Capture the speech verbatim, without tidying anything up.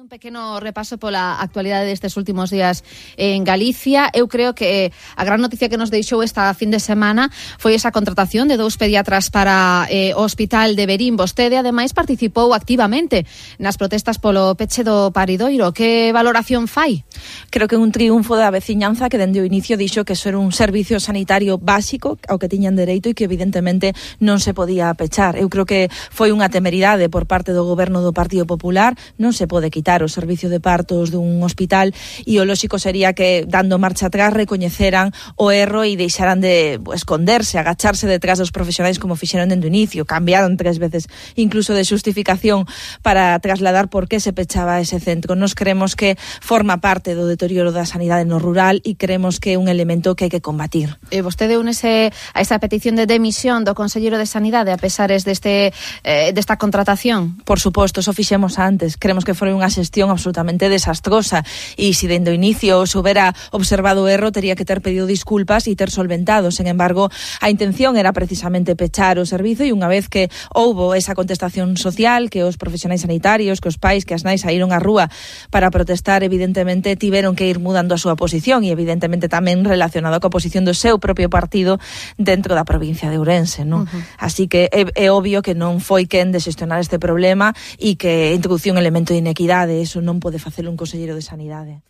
Un pequeno repaso pola actualidade destes últimos días en Galicia. Eu creo que a gran noticia que nos deixou esta fin de semana foi esa contratación de dous pediatras para eh, o Hospital de Verín. Vostede, ademais, participou activamente nas protestas polo peche do paridoiro. Que valoración fai? Creo que é un triunfo da veciñanza que dende o inicio dixo que eso era un servicio sanitario básico ao que tiñan dereito e que evidentemente non se podía pechar. Eu creo que foi unha temeridade por parte do goberno do Partido Popular. Non se pode quitar o servicio de partos dun hospital e o lóxico sería que, dando marcha atrás, recoñeceran o erro e deixaran de esconderse, agacharse detrás dos profesionais como fixeron dende o inicio. Cambiaron tres veces incluso de xustificación para trasladar por que se pechaba ese centro. Nos creemos que forma parte do deterioro da sanidade no rural e creemos que é un elemento que hai que combatir. E vostede únese a esa petición de demisión do Conselleiro de Sanidade a pesares deste, eh, desta contratación? Por suposto, eso fixemos antes. Creemos que foi unha xestión absolutamente desastrosa e se dende o inicio se houbera observado o erro tería que ter pedido disculpas e ter solventado. Sen embargo, a intención era precisamente pechar o servizo e unha vez que houbo esa contestación social, que os profesionais sanitarios, que os pais, que as nais saíron á rúa para protestar, evidentemente tiveron que ir mudando a súa posición e evidentemente tamén relacionado coa posición do seu propio partido dentro da provincia de Ourense, non? Uh-huh. Así que é, é obvio que non foi quen de xestionar este problema e que introduciu un elemento de inequidade. Eso non pode facer un conselleiro de Sanidade.